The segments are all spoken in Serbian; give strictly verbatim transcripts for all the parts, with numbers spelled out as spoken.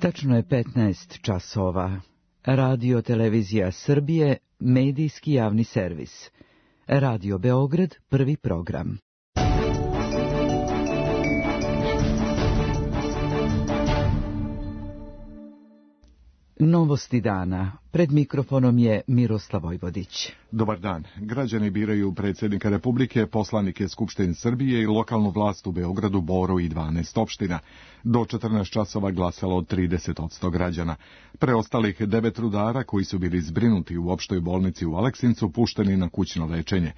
Tačno je petnaest časova. Radio Televizija Srbije, medijski javni servis. Radio Beograd, prvi program. Novosti dana. Pred mikrofonom je Miroslav Vojvodić. Dobar dan. Građani biraju predsjednika Republike, poslanike Skupštine Srbije i lokalnu vlast u Beogradu, Boru i dvanaest opština. Do četrnaest časova glasalo od trideset posto građana. Preostalih devet rudara koji su bili zbrinuti u opštoj bolnici u Aleksincu pušteni na kućno lečenje.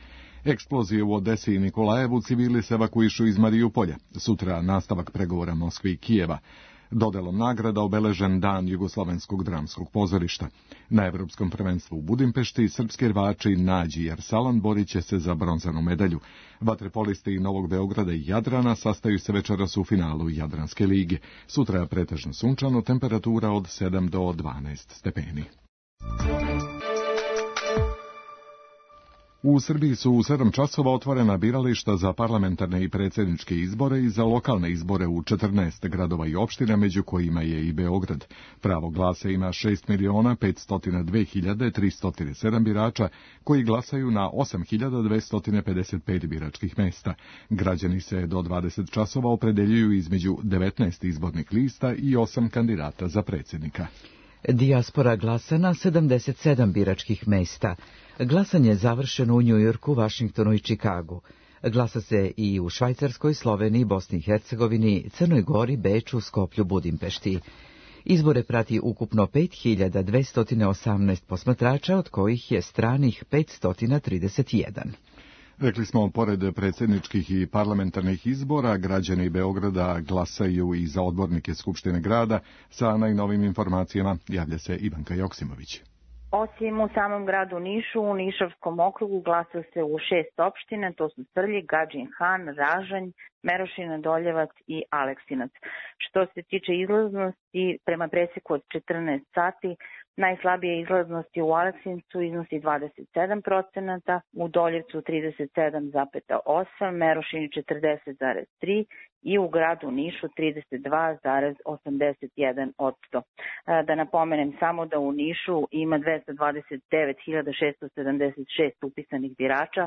Eksplozije u Odesi i Nikolajevu, civili se evakuišu iz Marijupolja. Sutra nastavak pregovora Moskve i Kijeva. Dodelom nagrada obeležen dan Jugoslovenskog dramskog pozorišta. Na Evropskom prvenstvu u Budimpešti srpski rvači Nađi i Arsalan borit će se za bronzanu medalju. Vaterpolisti Novog Beograda i Jadrana sastaju se večeras u finalu Jadranske lige. Sutra je pretežno sunčano, temperatura od sedam do dvanaest stepeni. U Srbiji su u sedam časova otvorena birališta za parlamentarne i predsjedničke izbore i za lokalne izbore u četrnaest gradova i opština, među kojima je i Beograd. Pravo glasa ima šest miliona petsto dva hiljade tristo sedam birača koji glasaju na osam hiljada dvesta pedeset pet biračkih mesta. Građani se do dvadeset časova opredeljuju između devetnaest izbornih lista i osam kandidata za predsjednika. Dijaspora glasa na sedamdeset sedam biračkih mesta. Glasanje je završeno u Njujorku, Vašingtonu i Čikagu. Glasa se i u Švajcarskoj, Sloveniji, Bosni i Hercegovini, Crnoj Gori, Beču, Skoplju, Budimpešti. Izbore prati ukupno pet hiljada dvesta osamnaest posmatrača, od kojih je stranih petsto trideset jedan. Rekli smo, pored predsjedničkih i parlamentarnih izbora, građani Beograda glasaju i za odbornike Skupštine grada. Sa najnovim informacijama javlja se Ivanka Joksimović. Osim u samom gradu Nišu, u Nišavskom okrugu glasa se u šest opština, to su Srljig, Gadžin Han, Ražanj, Merošina, Doljevac i Aleksinac. Što se tiče izlaznosti, prema preseku od četrnaest sati, najslabije izlaznosti u Aleksincu iznosi dvadeset sedam procenata, u Doljevcu trideset sedam zarez osam, Merošini četrdeset zarez tri i u gradu Nišu trideset dva zarez osamdeset jedan posto. Da napomenem samo da u Nišu ima dvesta dvadeset devet hiljada šesto sedamdeset šest upisanih birača,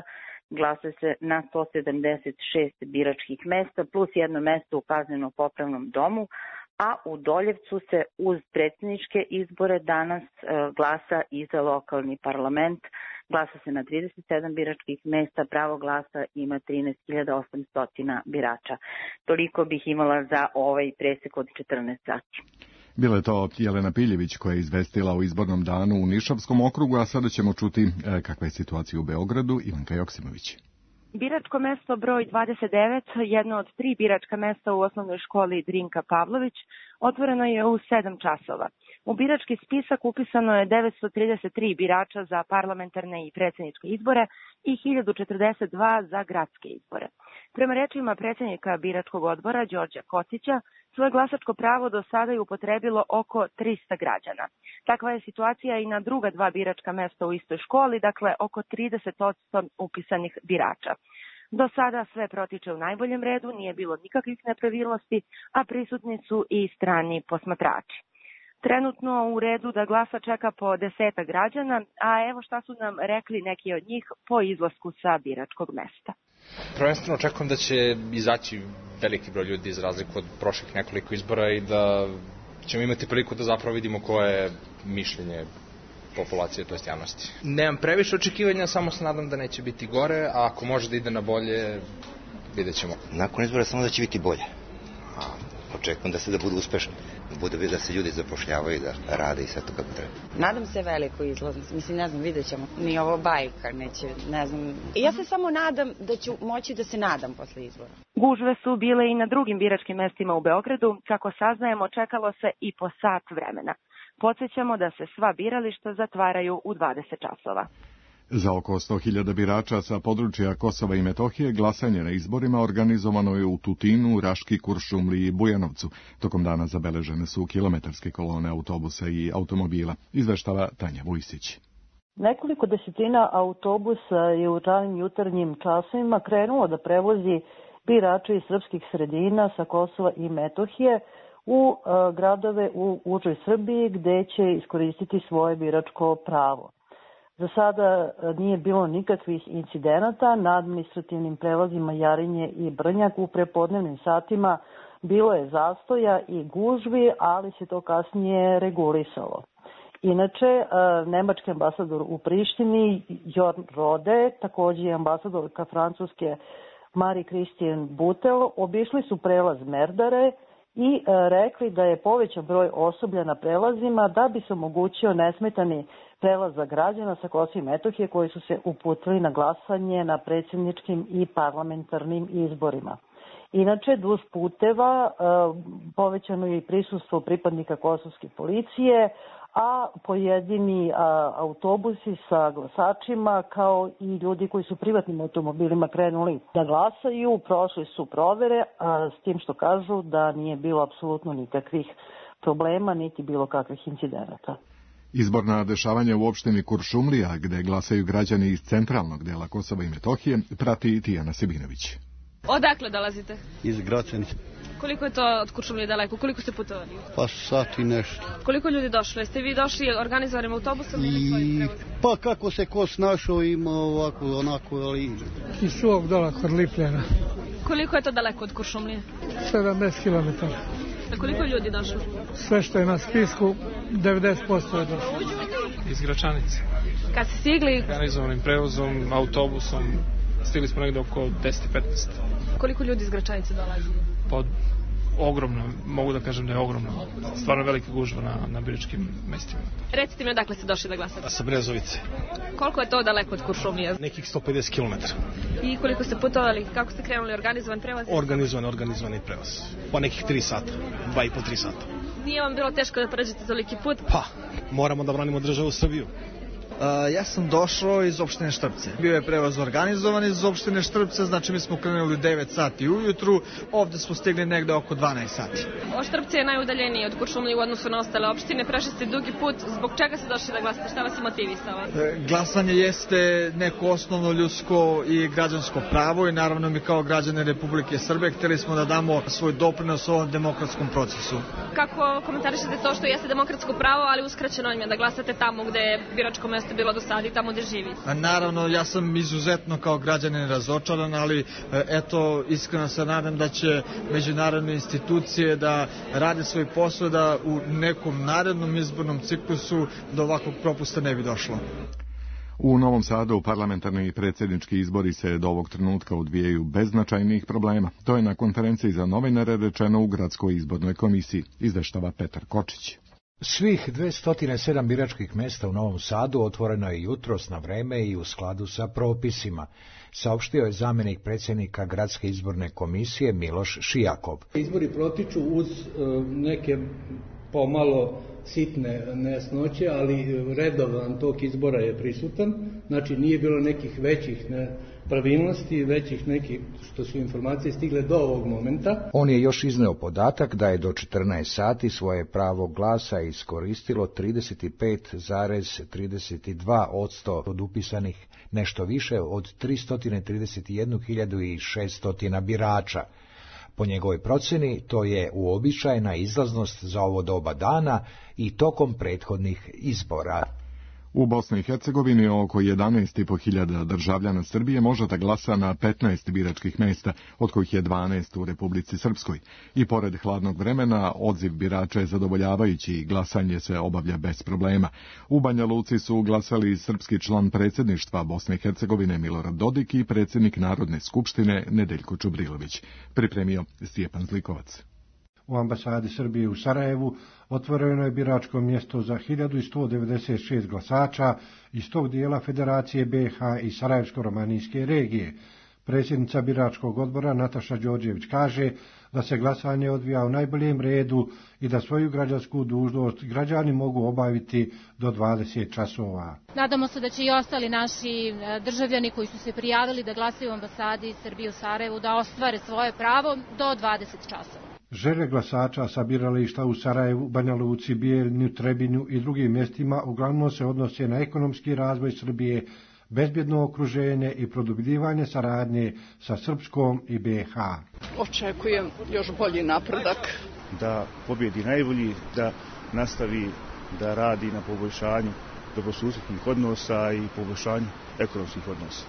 glasa se na sto sedamdeset šest biračkih mesta plus jedno mesto u kazneno-popravnom domu, a u Doljevcu se uz predsjedničke izbore danas e, glasa i za lokalni parlament. Glasa se na trideset sedam biračkih mesta, pravo glasa ima trinaest hiljada osamsto birača. Toliko bih imala za ovaj presek od četrnaest sati. Bila je to Jelena Piljević koja je izvestila o izbornom danu u Nišavskom okrugu, a sada ćemo čuti e, kakva je situacija u Beogradu. Ivanka Joksimović. Biračko mesto broj dvadeset devet, jedno od tri biračka mesta u osnovnoj školi Drinka Pavlović, otvoreno je u sedam časova. U birački spisak upisano je devetsto trideset tri birača za parlamentarne i predsjedničke izbore i hiljadu četrdeset dva za gradske izbore. Prema rečima predsjednika biračkog odbora Đorđa Kocića, svoje glasačko pravo do sada je upotrebilo oko trista građana. Takva je situacija i na druga dva biračka mesta u istoj školi, dakle oko trideset posto upisanih birača. Do sada sve protiče u najboljem redu, nije bilo nikakvih nepravilnosti, a prisutni su i strani posmatrači. Trenutno u redu da glasa čeka po deseta građana, a evo šta su nam rekli neki od njih po izlasku sa biračkog mesta. Prvenstveno očekujem da će izaći veliki broj ljudi za razliku od prošlih nekoliko izbora i da ćemo imati priliku da zapravo vidimo koje je mišljenje populacije, to jest javnosti. Nemam previše očekivanja, samo se nadam da neće biti gore, a ako može da ide na bolje, vidjet ćemo. Nakon izbora samo da će biti bolje. A očekujem da se da budu uspešni, da bude da se ljudi zapošljavaju, da rade i sve to kako treba. Nadam se veliko izlaznost, mislim, ne znam, vidjet ćemo. Ni ovo bajka, neće, ne znam. Ja se samo nadam da ću moći da se nadam posle izbora. Gužve su bile i na drugim biračkim mestima u Beogradu, kako saznajemo, čekalo se i po sat vremena. Podsjećamo da se sva birališta zatvaraju u dvadeset časova. Za oko sto hiljada birača sa područja Kosova i Metohije glasanje na izborima organizovano je u Tutinu, Raški, Kuršumliji i Bujanovcu. Tokom dana zabeležene su kilometarske kolone autobusa i automobila. Izveštava Tanja Vujsić. Nekoliko desetina autobusa je u ranim jutarnjim časovima krenulo da prevozi birače iz srpskih sredina sa Kosova i Metohije u gradove u užoj Srbiji gde će iskoristiti svoje biračko pravo. Za sada nije bilo nikakvih incidenata na administrativnim prelazima Jarinje i Brnjak. U prepodnevnim satima bilo je zastoja i gužvi, ali se to kasnije regulisalo. Inače, nemački ambasador u Prištini, Jorn Rode, također i ambasadorka Francuske Marie-Christine Butel, obišli su prelaz Merdare i rekli da je povećan broj osoblja na prelazima da bi se omogućio nesmetani prelaz za građana sa Kosova i Metohije koji su se uputili na glasanje na predsjedničkim i parlamentarnim izborima. Inače, duž puteva povećano je i prisustvo pripadnika kosovske policije, a pojedini autobusi sa glasačima kao i ljudi koji su privatnim automobilima krenuli da glasaju, prošli su provere, a s tim što kažu da nije bilo apsolutno nikakvih problema niti bilo kakvih incidenata. Izborna dešavanja u opštini Kuršumlija, gde glasaju građani iz centralnog dela Kosova i Metohije, prati Tijana Sebinović. Odakle dolazite? Iz Gracenice. Koliko je to od Kuršumlije daleko? Koliko ste putovali? Pa sat i nešto. Koliko ljudi došlo? Jeste vi došli organizovanim autobusom ili svojim prevozom? Pa kako se ko snašao, ima ovako, onako, ali... Iz svog dola kod Lipljana. Koliko je to daleko od Kuršumlije? sedamdeset kilometara. A koliko ljudi došlo? Sve što je na spisku, devedeset posto je došlo. Iz Gračanice. Kad ste stigli? Organizovanim prevozom, autobusom, stigli smo negdje oko deset petnaest. Koliko ljudi iz Gračanice dolazi? Pa ogromno, mogu da kažem da je ogromno. Stvarno velika gužva na, na biračkim mestima. Recite mi odakle ste došli da glasate? Sa Brezovice. Koliko je to daleko od Kuršumlije? Nekih sto pedeset kilometara. I koliko ste putovali? Kako ste krenuli? Organizovan prevoz? Organizovan, organizovani prevoz. Po nekih tri sata, dva i po tri sata. Nije vam bilo teško da pređete toliki put? Pa, moramo da branimo državu Srbiju. Uh, ja sam došao iz opštine Štrpce. Bio je prevoz organizovan iz opštine Štrpce, znači mi smo krenuli u devet sati ujutru, ovde smo stigli negde oko dvanaest sati. O Štrpce je najudaljeniji od Kuršumlije u odnosu na ostale opštine, prešli ste dugi put, zbog čega ste došli da glasate, šta vas je motivisalo? Uh, glasanje jeste neko osnovno ljudsko i građansko pravo i naravno mi kao građani Republike Srbije htjeli smo da damo svoj doprinos ovom demokratskom procesu. Kako komentarišete to što jeste demokratsko pravo, ali uskraćeno im je da glasate tamo gde je biračko mesto bilo do sada i tamo gde živi? Naravno, ja sam izuzetno kao građanin razočaran, ali eto, iskreno se nadam da će međunarodne institucije da rade svoj posao, da u nekom narednom izbornom ciklusu do ovakvog propusta ne bi došlo. U Novom Sadu parlamentarni i predsjednički izbori se do ovog trenutka odvijaju bez značajnih problema. To je na konferenciji za novinare rečeno u Gradskoj izbornoj komisiji, izveštava Petar Kočić. Svih dvesta sedam biračkih mjesta u Novom Sadu otvoreno je jutros na vreme i u skladu sa propisima, saopštio je zamjenik predsjednika Gradske izborne komisije Miloš Šijakov. Izbori protiču uz uh, neke pomalo sitne nejasnoće, ali redovan tok izbora je prisutan, znači nije bilo nekih većih nepravilnosti, većih nekih što su informacije stigle do ovog momenta. On je još izneo podatak da je do četrnaest sati svoje pravo glasa iskoristilo trideset pet zarez trideset dva posto od upisanih, nešto više od tristo trideset jednu hiljadu šeststo birača. Po njegovoj procjeni, to je uobičajena izlaznost za ovo doba dana i tokom prethodnih izbora. U Bosni i Hercegovini oko jedanaest i po hiljada državljana Srbije može da glasa na petnaest biračkih mjesta, od kojih je dvanaest u Republici Srpskoj. I pored hladnog vremena, odziv birača je zadovoljavajući i glasanje se obavlja bez problema. U Banja Luci su glasali srpski član predsjedništva Bosne i Hercegovine Milorad Dodik i predsjednik Narodne skupštine Nedeljko Čubrilović. Pripremio Stjepan Zlikovac. U ambasadi Srbije u Sarajevu otvoreno je biračko mjesto za hiljadu sto devedeset šest glasača iz tog dijela Federacije B i H i Sarajevsko-romanijske regije. Predsjednica biračkog odbora Nataša Đorđević kaže da se glasanje odvija u najboljem redu i da svoju građansku dužnost građani mogu obaviti do dvadeset časova. Nadamo se da će i ostali naši državljani koji su se prijavili da glasaju u ambasadi Srbije u Sarajevu da ostvare svoje pravo do dvadeset časova. Želje glasača sa birališta u Sarajevu, Banja Luci, Bijeljinu, Trebinju i drugim mjestima uglavnom se odnose na ekonomski razvoj Srbije, bezbjedno okruženje i produbljivanje saradnje sa Srpskom i B i H. Očekujem još bolji napredak da pobjedi najbolji, da nastavi da radi na poboljšanju dobrosusjedskih odnosa i poboljšanju ekonomskih odnosa.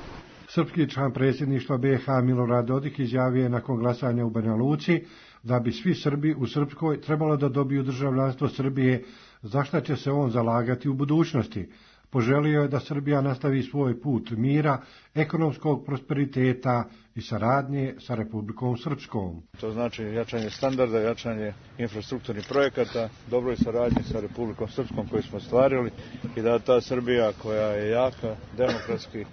Srpski član predsjedništva B i H Milorad Dodik izjavio je nakon glasanja u Banja Luci da bi svi Srbi u Srpskoj trebalo da dobiju državljanstvo Srbije, za šta će se on zalagati u budućnosti. Poželio je da Srbija nastavi svoj put mira, ekonomskog prosperiteta i saradnje sa Republikom Srpskom. To znači jačanje standarda, jačanje infrastrukturnih projekata, dobroj saradnji sa Republikom Srpskom koju smo stvarili i da ta Srbija koja je jaka, demokratski,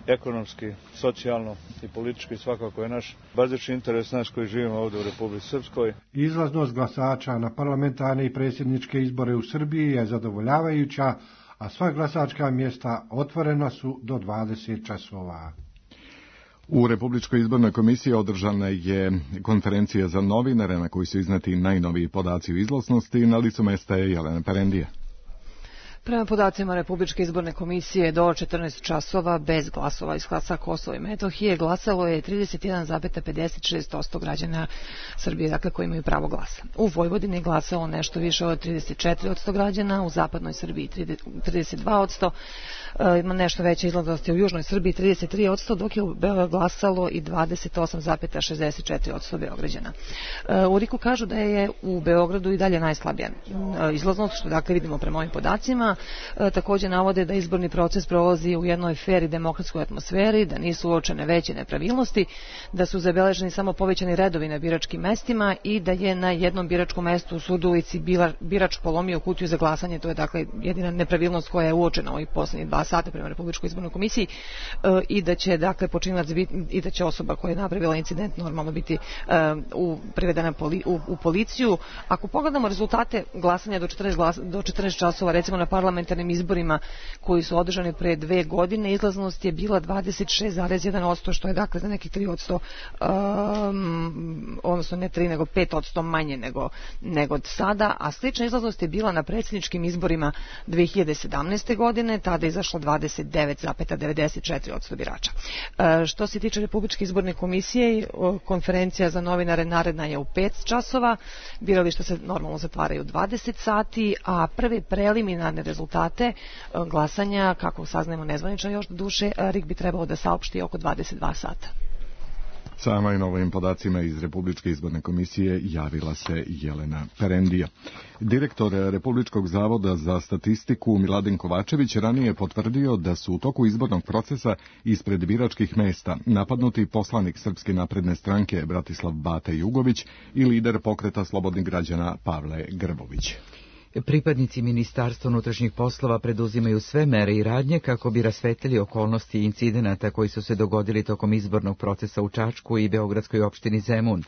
ekonomski, socijalno i politički svakako je naš bazični interes nas koji živimo ovdje u Republici Srpskoj. Izlaznost glasača na parlamentarne i predsjedničke izbore u Srbiji je zadovoljavajuća, a sva glasačka mjesta otvorena su do dvadeset časova. U Republičkoj izbornoj komisiji održana je konferencija za novinare na kojoj su izneti najnoviji podaci o izlaznosti. Na licu mesta je Jelena Perendija. Prema podacima Republičke izborne komisije do četrnaest časova bez glasova iz sa Kosova i Metohije glasalo je trideset jedan zarez pedeset šest posto građana Srbije, dakle koji imaju pravo glasa. U Vojvodini je glasalo nešto više od trideset četiri posto građana, u zapadnoj Srbiji trideset dva posto, ima nešto veća izlaznost u južnoj Srbiji trideset tri posto, dok je u Beogradu glasalo i dvadeset osam zarez šezdeset četiri posto Beograđana. U RIK-u kažu da je u Beogradu i dalje najslabija izlaznost, što dakle vidimo prema ovim podacima. E, također navode da izborni proces prolazi u jednoj fer i demokratskoj atmosferi, da nisu uočene veće nepravilnosti, da su zabeleženi samo povećani redovi na biračkim mestima i da je na jednom biračkom mestu u Surdulici birač polomio kutiju za glasanje. To je dakle jedina nepravilnost koja je uočena ovih poslednjih dva sata prema Republičkoj izbornoj komisiji, e, i da će dakle počinilac biti, i da će osoba koja je napravila incident normalno biti e, u, privedena poli, u, u policiju. Ako pogledamo rezultate glasanja do četrnaest, glas, do četrnaest časova, recimo na parlamentarnim izborima koji su održani pre dve godine, izlaznost je bila dvadeset šest zarez jedan posto, što je dakle za nekih tri posto, um, odnosno ne tri nego pet posto manje nego, nego od sada, a slična izlaznost je bila na predsjedničkim izborima dve hiljade sedamnaeste. godine, tada je izašlo dvadeset devet zarez devedeset četiri posto birača. E, što se tiče Republičke izborne komisije, konferencija za novinare naredna je u pet časova, birališta se normalno zatvaraju dvadeset sati, a prve preliminarne rezultate glasanja, kako saznajemo nezvanično još do duše, RIK bi trebalo da saopšti oko dvadeset dva sata. Sa najnovim podacima iz Republičke izborne komisije javila se Jelena Perendija. Direktor Republičkog zavoda za statistiku Miladin Kovačević ranije je potvrdio da su u toku izbornog procesa ispred biračkih mesta napadnuti poslanik Srpske napredne stranke Bratislav Bata Jugović i lider pokreta slobodnih građana Pavle Grbović. Pripadnici Ministarstva unutrašnjih poslova preduzimaju sve mere i radnje kako bi rasvetlili okolnosti i incidenata koji su se dogodili tokom izbornog procesa u Čačku i beogradskoj opštini Zemun.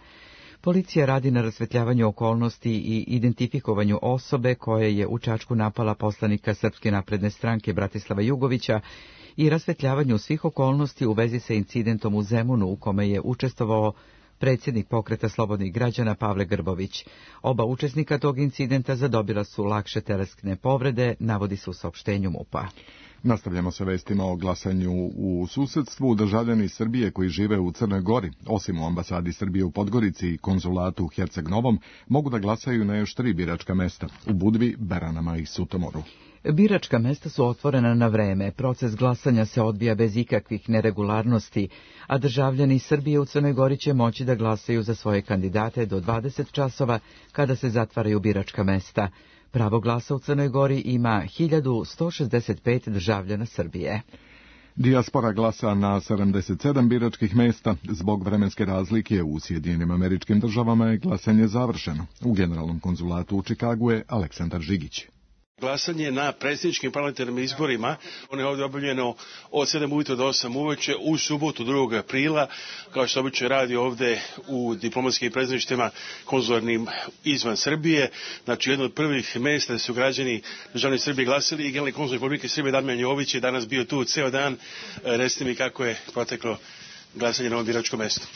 Policija radi na rasvetljavanju okolnosti i identifikovanju osobe koja je u Čačku napala poslanika Srpske napredne stranke Bratislava Jugovića i rasvetljavanju svih okolnosti u vezi sa incidentom u Zemunu u kome je učestvovao predsjednik pokreta slobodnih građana Pavle Grbović. Oba učesnika tog incidenta zadobila su lakše telesne povrede, navodi se u saopštenju MUP-a. Nastavljamo sa vestima o glasanju u susedstvu. Državljani Srbije koji žive u Crnoj Gori, osim u ambasadi Srbije u Podgorici i konzulatu u Herceg Novom, mogu da glasaju na još tri biračka mesta, u Budvi, Beranama i Sutomoru. Biračka mesta su otvorena na vreme, proces glasanja se odvija bez ikakvih neregularnosti, a državljani Srbije u Crnoj Gori će moći da glasaju za svoje kandidate do dvadeset časova kada se zatvaraju biračka mesta. Pravo glasa u Crnoj Gori ima hiljadu sto šezdeset pet državljana Srbije. Dijaspora glasa na sedamdeset sedam biračkih mesta. Zbog vremenske razlike u Sjedinjenim Američkim Državama je glasanje završeno. U generalnom konzulatu u Čikagu je Aleksandar Žigić. Glasanje na predsjedničkim parlamentarnim izborima, ono je ovdje objavljeno od sedam ujutro do osam uveče u subotu drugog aprila, kao što obično radi ovdje u diplomatskim predstavništvima konzularnim izvan Srbije. Znači, jedno od prvih mjesta su građani državne Srbije glasili i generalni konzul Republike Srbije Damjan Jović je danas bio tu ceo dan. Recite mi kako je proteklo glasanje na ovom biračkom mjestu.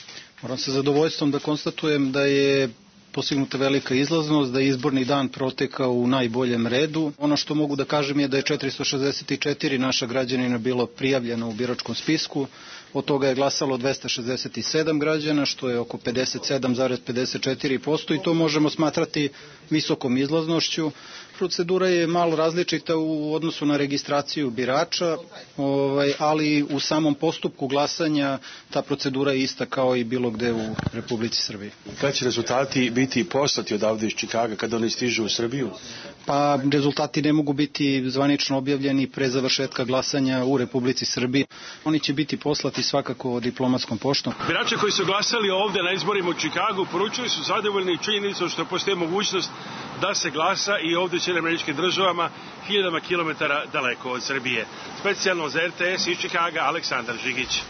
Moram sa zadovoljstvom da konstatujem da je postignuta velika izlaznost, da je izborni dan protekao u najboljem redu. Ono što mogu da kažem je da je četiristo šezdeset četiri naša građanina bilo prijavljeno u biračkom spisku, od toga je glasalo dvesta šezdeset sedam građana, što je oko pedeset sedam zarez pedeset četiri posto i to možemo smatrati visokom izlaznošću. Procedura je malo različita u odnosu na registraciju birača, ovaj, ali u samom postupku glasanja ta procedura je ista kao i bilo gde u Republici Srbiji. Kada će rezultati biti poslati odavde iz Čikaga kada oni stižu u Srbiju? Pa rezultati ne mogu biti zvanično objavljeni pre završetka glasanja u Republici Srbiji. Oni će biti poslati svakako diplomatskom poštom. Birači koji su glasali ovde na izborima u Čikagu poručili su zadovoljni činjenicom što postoji mogućnost da se glasa i ovde u Sjedinjenim Američkim Državama hiljadama kilometara daleko od Srbije. Specijalno za R T S iz Čikaga, Aleksandar Žigić.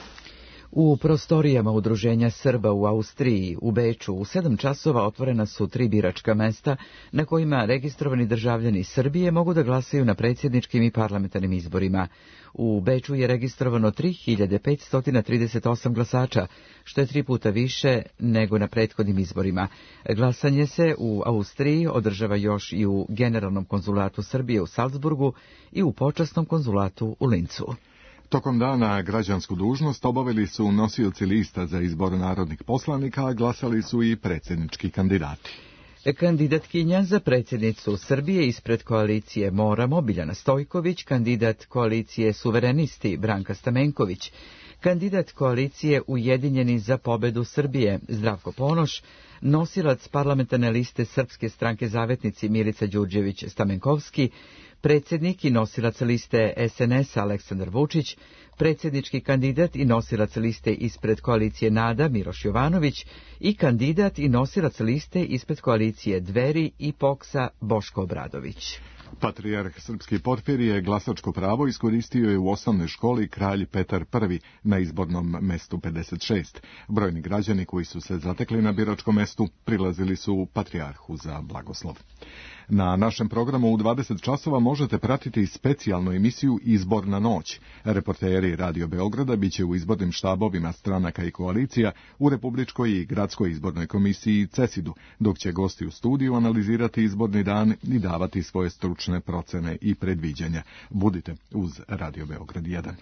U prostorijama Udruženja Srba u Austriji, u Beču, u sedam časova otvorena su tri biračka mesta na kojima registrovani državljani Srbije mogu da glasaju na predsjedničkim i parlamentarnim izborima. U Beču je registrovano tri hiljade petsto trideset osam glasača, što je tri puta više nego na prethodnim izborima. Glasanje se u Austriji održava još i u Generalnom konzulatu Srbije u Salzburgu i u Počasnom konzulatu u Lincu. Tokom dana građansku dužnost obavili su nosioci lista za izbor narodnih poslanika, a glasali su i predsjednički kandidati. Kandidatkinja za predsjednicu Srbije ispred koalicije Moramo, Biljana Stojković, kandidat koalicije Suverenisti, Branka Stamenković, kandidat koalicije Ujedinjeni za pobedu Srbije, Zdravko Ponoš, nosilac parlamentarne liste Srpske stranke Zavetnici Milica Đurđević-Stamenkovski, predsjednik i nosilac liste S N S Aleksandar Vučić, predsjednički kandidat i nosilac liste ispred koalicije Nada Miloš Jovanović i kandidat i nosilac liste ispred koalicije Dveri i Poksa Boško Obradović. Patrijarh Srpski Porfirije glasačko pravo iskoristio je u osnovnoj školi Kralj Petar Prvi na izbornom mestu pedeset šest. Brojni građani koji su se zatekli na biračkom mestu prilazili su patrijarhu za blagoslov. Na našem programu u dvadeset časova možete pratiti specijalnu emisiju Izborna noć. Reporteri Radio Beograda biće u izbornim štabovima stranaka i koalicija u Republičkoj i Gradskoj izbornoj komisiji CESID-u, dok će gosti u studiju analizirati izborni dan i davati svoje stručne procene i predviđanja. Budite uz Radio Beograd jedan.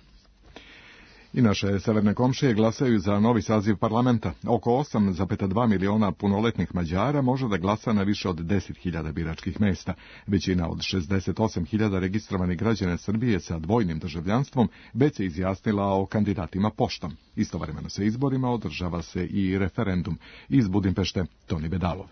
I naše severne komšije glasaju za novi saziv parlamenta. Oko osam zarez dva miliona punoletnih Mađara može da glasa na više od deset hiljada biračkih mesta. Većina od šezdeset osam hiljada registrovanih građana Srbije sa dvojnim državljanstvom već se izjasnila o kandidatima poštom. Istovremeno sa izborima održava se i referendum. Iz Budimpešte, Toni Bedalov.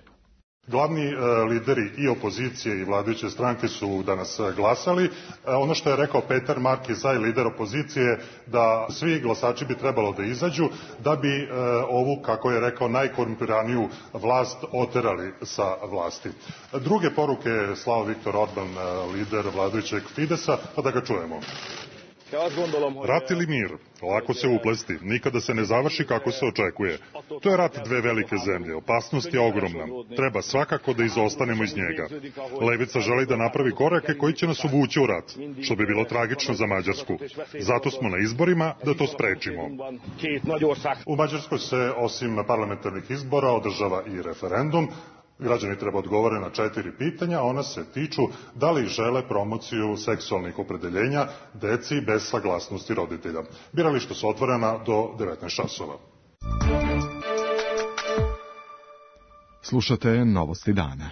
Glavni e, lideri i opozicije i vladajuće stranke su danas glasali. E, ono što je rekao Petar Markizaj, lider opozicije, da svi glasači bi trebalo da izađu da bi e, ovu, kako je rekao, najkorumpiraniju vlast oterali sa vlasti. Druge poruke je slao Viktor Orban, lider vladajućeg Fidesa, pa da ga čujemo. Rat ili mir? Lako se uplesti, nikada se ne završi kako se očekuje. To je rat dve velike zemlje, opasnost je ogromna. Treba svakako da izostanemo iz njega. Levica želi da napravi korake koji će nas uvući u rat, što bi bilo tragično za Mađarsku. Zato smo na izborima da to sprečimo. U Mađarskoj se osim parlamentarnih izbora održava i referendum. Građani treba odgovore na četiri pitanja, ona se tiču da li žele promociju seksualnih opredeljenja deci bez saglasnosti roditelja. Birališta su otvorena do devetnaest časova. Slušate Novosti dana.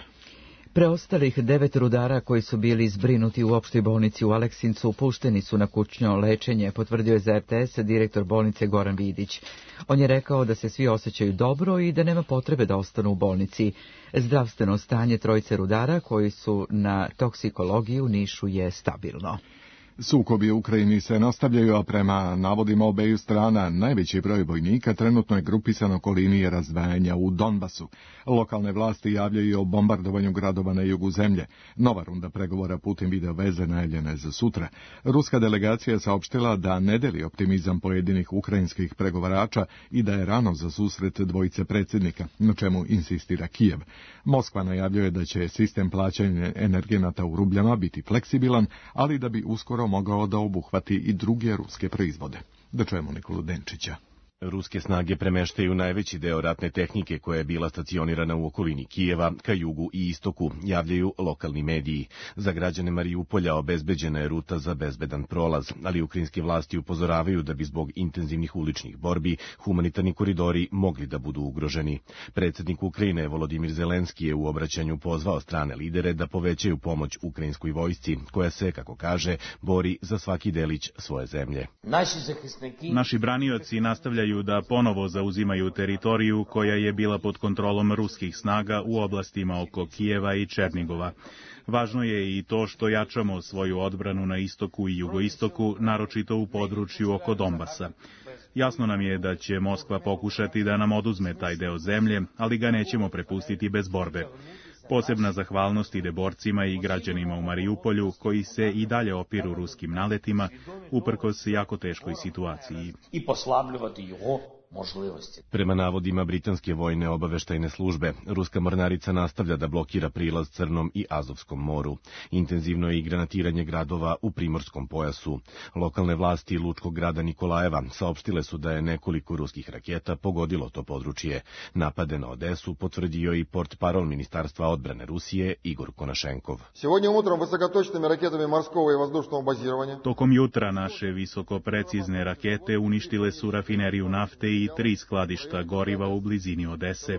Preostalih devet rudara koji su bili zbrinuti u opštoj bolnici u Aleksincu pušteni su na kućno lečenje, potvrdio je za R T S direktor bolnice Goran Vidić. On je rekao da se svi osjećaju dobro i da nema potrebe da ostanu u bolnici. Zdravstveno stanje trojice rudara koji su na toksikologiji u Nišu je stabilno. Sukobi u Ukrajini se nastavljaju, a prema navodima obeju strana najveći broj vojnika trenutno je grupisan oko linije razdvajanja u Donbasu. Lokalne vlasti javljaju o bombardovanju gradova na jugu zemlje. Nova runda pregovora putem video veze najavljena je za sutra. Ruska delegacija je saopštila da ne deli optimizam pojedinih ukrajinskih pregovarača i da je rano za susret dvojice predsjednika, na čemu insistira Kijev. Moskva najavljuje da će sistem plaćanja energenata u rubljama biti fleksibilan, ali da bi uskoro mogao da obuhvati i druge ruske proizvode. Da čujemo Nikolu Denčića. Ruske snage premeštaju najveći deo ratne tehnike koja je bila stacionirana u okolini Kijeva ka jugu i istoku, javljaju lokalni mediji. Za građane Marijupolja obezbeđena je ruta za bezbedan prolaz, ali ukrajinske vlasti upozoravaju da bi zbog intenzivnih uličnih borbi humanitarni koridori mogli da budu ugroženi. Predsjednik Ukrajine Volodimir Zelenski je u obraćanju pozvao strane lidere da povećaju pomoć ukrajinskoj vojsci, koja se, kako kaže, bori za svaki delić svoje zemlje. Naši branioci nastavljaju da ponovo zauzimaju teritoriju koja je bila pod kontrolom ruskih snaga u oblastima oko Kijeva i Černigova. Važno je i to što jačamo svoju odbranu na istoku i jugoistoku, naročito u području oko Donbasa. Jasno nam je da će Moskva pokušati da nam oduzme taj deo zemlje, ali ga nećemo prepustiti bez borbe. Posebna zahvalnost ide borcima i građanima u Marijupolju, koji se i dalje opiru ruskim naletima, uprkos jako teškoj situaciji. I poslavljivati jeho možlivosti. Prema navodima britanske vojne obaveštajne službe, ruska mornarica nastavlja da blokira prilaz Crnom i Azovskom moru. Intenzivno je i granatiranje gradova u primorskom pojasu. Lokalne vlasti lučkog grada Nikolajeva saopštile su da je nekoliko ruskih raketa pogodilo to područje. Napade na Odesu potvrdio i portparol Ministarstva odbrane Rusije Igor Konašenkov. Tokom jutra naše visokoprecizne rakete uništile su rafineriju nafte i tri skladišta goriva u blizini Odese.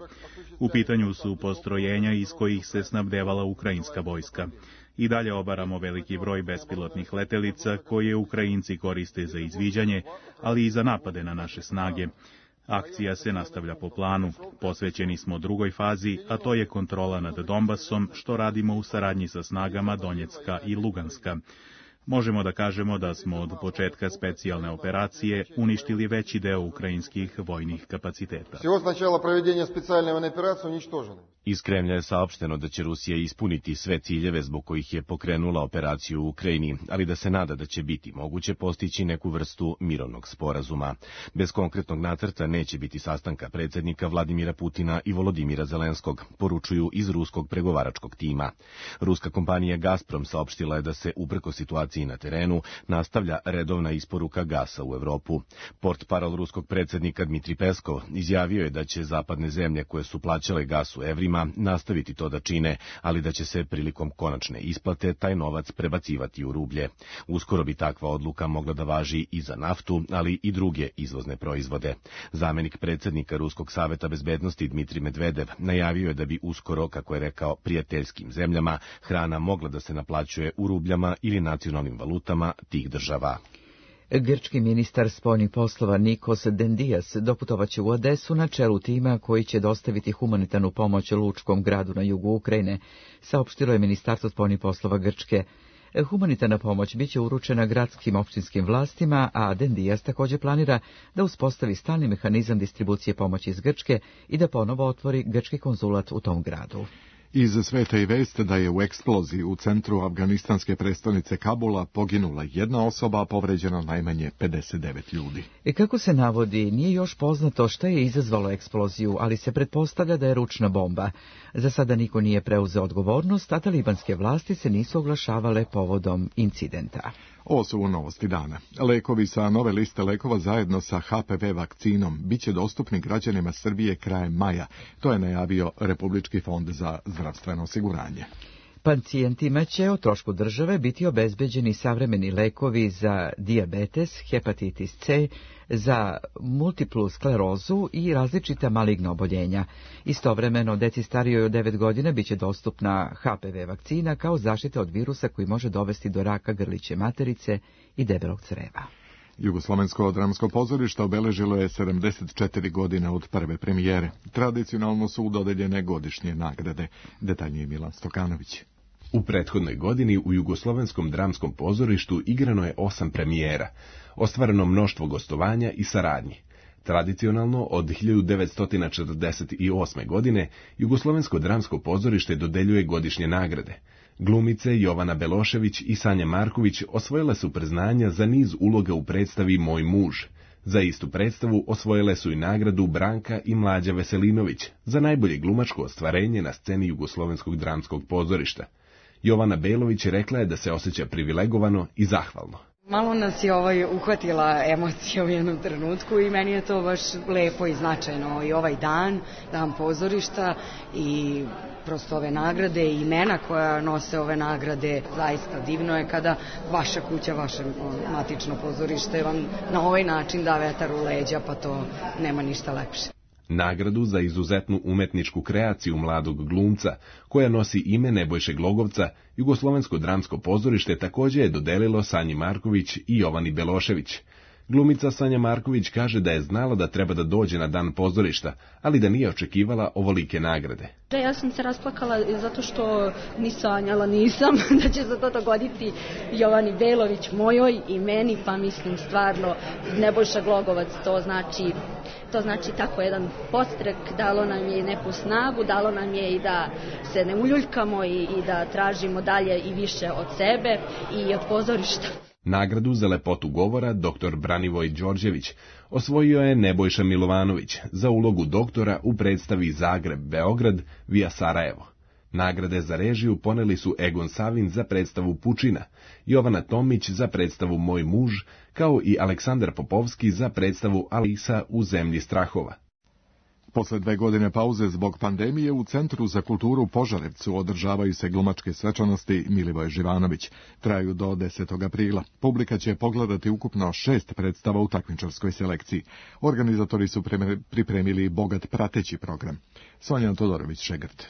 U pitanju su postrojenja iz kojih se snabdevala ukrajinska vojska. I dalje obaramo veliki broj bespilotnih letelica koje Ukrajinci koriste za izviđanje, ali i za napade na naše snage. Akcija se nastavlja po planu. Posvećeni smo drugoj fazi, a to je kontrola nad Donbasom, što radimo u saradnji sa snagama Donjecka i Luganska. Možemo da kažemo da smo od početka specijalne operacije uništili veći deo ukrajinskih vojnih kapaciteta. Iz Kremlja je saopšteno da će Rusija ispuniti sve ciljeve zbog kojih je pokrenula operaciju u Ukrajini, ali da se nada da će biti moguće postići neku vrstu mirovnog sporazuma. Bez konkretnog nacrta neće biti sastanka predsjednika Vladimira Putina i Volodimira Zelenskog, poručuju iz ruskog pregovaračkog tima. Ruska kompanija Gazprom saopštila je da se uprkos situaciji na terenu nastavlja redovna isporuka gasa u Evropu. Portparol ruskog predsjednika Dmitri Peskov izjavio je da će zapadne zemlje koje su plaćale gas u evrima nastaviti to da čine, ali da će se prilikom konačne isplate taj novac prebacivati u rublje. Uskoro bi takva odluka mogla da važi i za naftu, ali i druge izvozne proizvode. Zamenik predsjednika Ruskog saveta bezbednosti Dmitri Medvedev najavio je da bi uskoro, kako je rekao, prijateljskim zemljama hrana mogla da se naplaćuje u rubljama ili nacionalnim valutama tih država. Grčki ministar spoljnih poslova Nikos Dendias doputovaće u Odesu na čelu tima koji će dostaviti humanitarnu pomoć lučkom gradu na jugu Ukrajine, saopštilo je Ministarstvo spoljnih poslova Grčke. Humanitarna pomoć biće uručena gradskim opštinskim vlastima, a Dendias također planira da uspostavi stalni mehanizam distribucije pomoći iz Grčke i da ponovo otvori grčki konzulat u tom gradu. Iz sveta i vest da je u eksploziji u centru afganistanske prestonice Kabula poginula jedna osoba, a povređeno najmanje pedeset devet ljudi. I kako se navodi, nije još poznato šta je izazvalo eksploziju, ali se pretpostavlja da je ručna bomba. Za sada niko nije preuzeo odgovornost, a talibanske vlasti se nisu oglašavale povodom incidenta. Ovo su novosti dana. Lekovi sa nove liste lekova zajedno sa ha pe ve vakcinom biće dostupni građanima Srbije krajem maja. To je najavio Republički fond za zdravstveno osiguranje. Pacijentima će o trošku države biti obezbeđeni savremeni lekovi za dijabetes, hepatitis C, za multiplu sklerozu i različita maligna oboljenja. Istovremeno, deci starijoj od devet godina biće dostupna ha pe ve vakcina kao zaštita od virusa koji može dovesti do raka grliće materice i debelog creva. Jugoslovensko dramsko pozorište obeležilo je sedamdeset četiri godine od prve premijere. Tradicionalno su dodeljene godišnje nagrade. Detaljnije Milan Stokanović. U prethodnoj godini u Jugoslovenskom dramskom pozorištu igrano je osam premijera, ostvareno mnoštvo gostovanja i saradnji. Tradicionalno, od hiljadu devetsto četrdeset osme. godine, Jugoslovensko dramsko pozorište dodeljuje godišnje nagrade. Glumice Jovana Belošević i Sanja Marković osvojile su priznanja za niz uloga u predstavi Moj muž. Za istu predstavu osvojile su i nagradu Branka i Mlađa Veselinović za najbolje glumačko ostvarenje na sceni Jugoslovenskog dramskog pozorišta. Jovana Belović rekla je da se osjeća privilegovano i zahvalno. Malo nas je ovaj uhvatila emocija u jednom trenutku i meni je to baš lepo i značajno. I ovaj dan, dan pozorišta i prosto ove nagrade i imena koja nose ove nagrade, zaista divno je kada vaša kuća, vaše matično pozorište vam na ovaj način da vetar u leđa, pa to nema ništa lepše. Nagradu za izuzetnu umetničku kreaciju mladog glumca, koja nosi ime Nebojše Glogovca, Jugoslovensko dramsko pozorište također je dodelilo Sanji Marković i Jovani Belošević. Glumica Sanja Marković kaže da je znala da treba da dođe na dan pozorišta, ali da nije očekivala ovolike nagrade. Ja sam se rasplakala zato što ni sanjala nisam da će se to dogoditi Jovani Belović, mojoj i meni, pa mislim stvarno Nebojša Glogovac, to znači, to znači tako jedan podstrek, dalo nam je i neku snagu, dalo nam je i da se ne uljuljkamo i, i da tražimo dalje i više od sebe i od pozorišta. Nagradu za lepotu govora doktor Branivoj Đorđević osvojio je Nebojša Milovanović za ulogu doktora u predstavi Zagreb-Beograd via Sarajevo. Nagrade za režiju poneli su Egon Savin za predstavu Pučina, Jovana Tomić za predstavu Moj muž, kao i Aleksandar Popovski za predstavu Alisa u zemlji strahova. Posle dve godine pauze zbog pandemije u Centru za kulturu u Požarevcu održavaju se glumačke svečanosti Milivoje Živanović. Traju do desetog aprila. Publika će pogledati ukupno šest predstava u takmičarskoj selekciji. Organizatori su pripremili bogat prateći program. Sonja Todorović-Šegrt.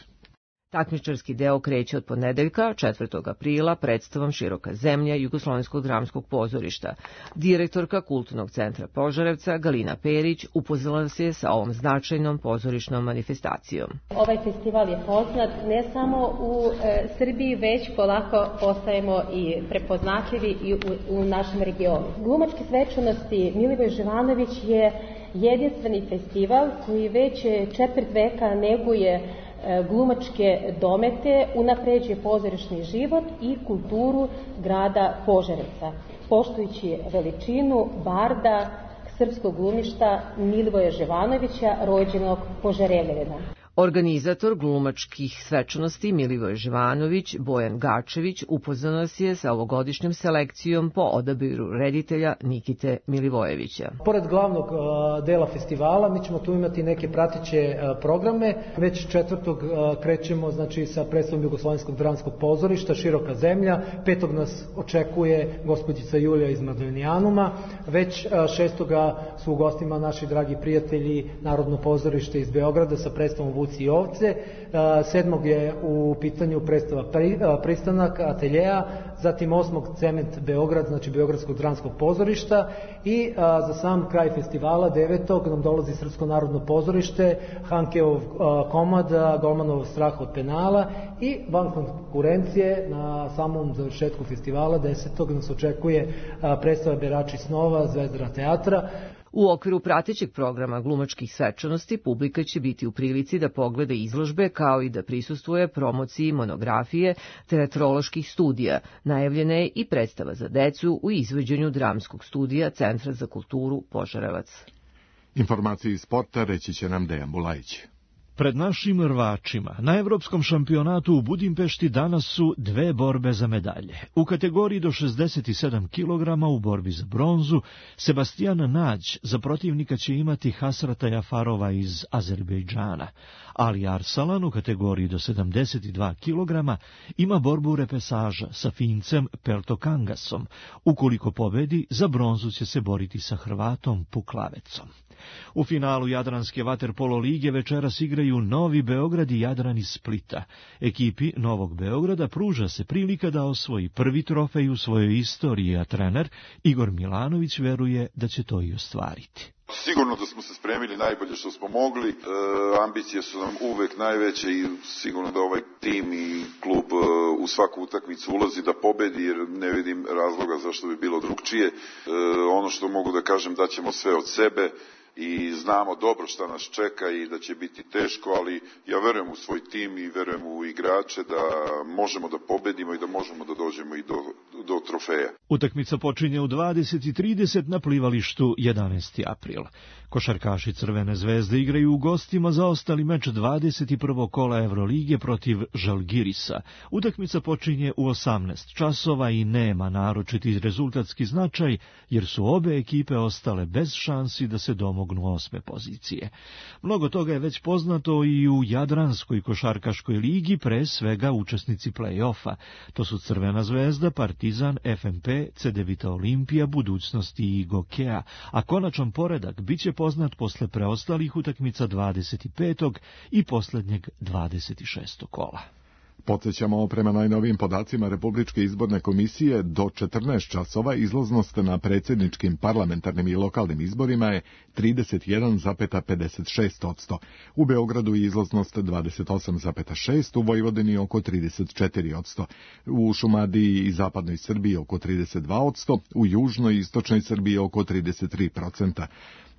Takmičarski deo kreće od ponedeljka, četvrtog aprila, predstavom Široka zemlja Jugoslovenskog dramskog pozorišta. Direktorka Kulturnog centra Požarevca, Galina Perić, upoznala se sa ovom značajnom pozorišnom manifestacijom. Ovaj festival je poznat ne samo u e, Srbiji, već polako postajemo i prepoznatljivi i u, u našem regionu. Glumačke svečanosti Milivoje Živanović je jedinstveni festival koji već četvrt veka neguje glumačke domete, unapređuje pozorišni život i kulturu grada Požarevca, poštujući veličinu barda srpskog glumišta Milivoja Živanovića, rođenog Požarevljana. Organizator glumačkih svečanosti Milivoje Živanović, Bojan Gačević, upoznao nas je sa ovogodišnjom selekcijom po odabiru reditelja Nikite Milivojevića. Pored glavnog uh, dela festivala, mi ćemo tu imati neke prateće uh, programe. Već četvrtog uh, krećemo znači, sa predstavom Jugoslovenskog dramskog pozorišta Široka zemlja. Petog nas očekuje gospođica Julija iz Madonijanuma. Već uh, šestoga su u gostima naši dragi prijatelji Narodno pozorište iz Beograda sa predstavom Vuci i ovce. Sedmog je u pitanju predstava Pristanak ateljeja, zatim osmog Cement Beograd, znači Beogradskog dramskog pozorišta i za sam kraj festivala devetog nam dolazi Srpsko narodno pozorište, Hankeov komad, Golmanov strah od penala i van konkurencije na samom završetku festivala desetog nas očekuje predstava Berači snova Zvezdara teatra. U okviru pratećeg programa glumačkih svečanosti publika će biti u prilici da pogleda izložbe kao i da prisustvuje promociji monografije teatroloških studija. Najavljena je i predstava za decu u izvođenju dramskog studija Centra za kulturu Požarevac. Informacije iz sporta reći će nam Dejan Bulajić. Pred našim rvačima na Evropskom šampionatu u Budimpešti danas su dve borbe za medalje. U kategoriji do šezdeset sedam kilograma u borbi za bronzu Sebastian Nađ za protivnika će imati Hasrata Jafarova iz Azerbejdžana. Ali Arsalan u kategoriji do sedamdeset dva kilograma ima borbu repesaža sa Fincem Peltokangasom. Ukoliko pobedi, za bronzu će se boriti sa Hrvatom Puklavecom. U finalu Jadranske vaterpolo lige večeras igraju Novi Beograd i Jadran iz Splita. Ekipi Novog Beograda pruža se prilika da osvoji prvi trofej u svojoj istoriji, a trener Igor Milanović veruje da će to i ostvariti. Sigurno da smo se spremili najbolje što smo mogli, e, ambicije su nam uvek najveće i sigurno da ovaj tim i klub e, u svaku utakmicu ulazi da pobedi jer ne vidim razloga zašto bi bilo drugčije. E, ono što mogu da kažem da ćemo sve od sebe i znamo dobro šta nas čeka i da će biti teško, ali ja verujem u svoj tim i verujem u igrače da možemo da pobedimo i da možemo da dođemo i do do trofeja. Utakmica počinje u dvadeset i trideset na plivalištu jedanaesti april. Košarkaši Crvene zvezde igraju u gostima za ostali meč dvadeset prvog kola Evrolige protiv Žalgirisa. Utakmica počinje u osamnaest časova i nema naročiti rezultatski značaj, jer su obe ekipe ostale bez šansi da se domognu osme pozicije. Mnogo toga je već poznato i u Jadranskoj košarkaškoj ligi, pre svega učesnici play-offa. To su Crvena zvezda, Partizan, F M P, Cedevita Olimpija, Budućnosti i Gokea, a konačan poredak bit će poznat posle preostalih utakmica dvadeset petog i posljednjeg dvadeset šestog kola. Podsjećamo, prema najnovijim podacima Republičke izborne komisije, do četrnaest časova izlaznost na predsjedničkim, parlamentarnim i lokalnim izborima je trideset jedan zarez pedeset šest posto. U Beogradu je izlaznost dvadeset osam zarez šest posto, u Vojvodini oko trideset četiri posto, u Šumadiji i zapadnoj Srbiji oko trideset dva posto, u južnoj i istočnoj Srbiji oko trideset tri posto.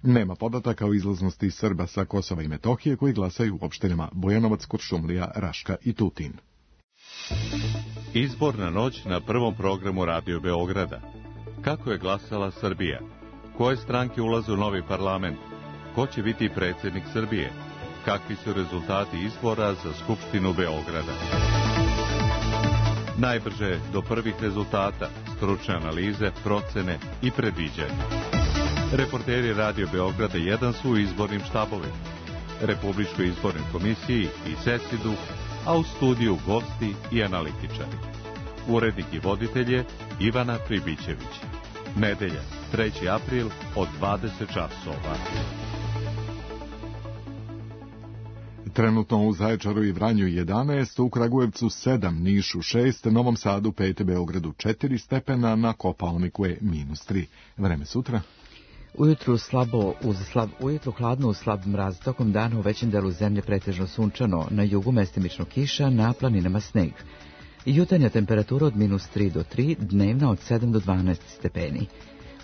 Nema podataka o izlaznosti Srba sa Kosova i Metohije koji glasaju u opštinama Bojanovac, Kuršumlija, Raška i Tutin. Izborna noć na prvom programu Radio Beograda. Kako je glasala Srbija? Koje stranke ulaze u novi parlament? Ko će biti predsjednik Srbije? Kakvi su rezultati izbora za Skupštinu Beograda? Najbrže do prvih rezultata, stručne analize, procene i predviđanja. Reporteri Radio Beograda jedan su u izbornim štabovima, Republičkoj izbornoj komisiji i Cesidu, a u studiju gosti i analitičari. Urednik i voditelj je Ivana Pribićević. Nedelja, treći april od dvadeset časova. Trenutno u Zaječaru i Vranju jedanaest, u Kragujevcu sedam, Nišu šest, Novom Sadu pet, Beogradu četiri stepena, na Kopaoniku je minus tri. Vreme sutra. Ujutru slabo uz slab, ujutru hladno uz slab mraz, tokom dana u većem delu zemlje pretežno sunčano, na jugu mestimično kiša, na planinama sneg. Jutarnja temperatura od minus tri do tri, dnevna od sedam do dvanaest stepeni.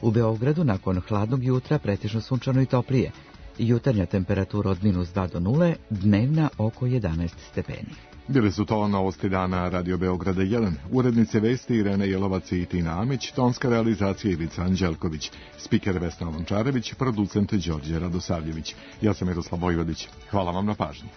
U Beogradu nakon hladnog jutra pretežno sunčano i toplije. Jutarnja temperatura od minus dva do nule, dnevna oko jedanaest stepeni. Bili su to novosti dana Radio Beograda jedan. Urednice vesti Irene Jelovac i Tina Amić, tonska realizacija Ivica Anđelković, spiker Vesna Lončarević, producent Đorđe Radosavljević. Ja sam Miroslav Vojvodić. Hvala vam na pažnji.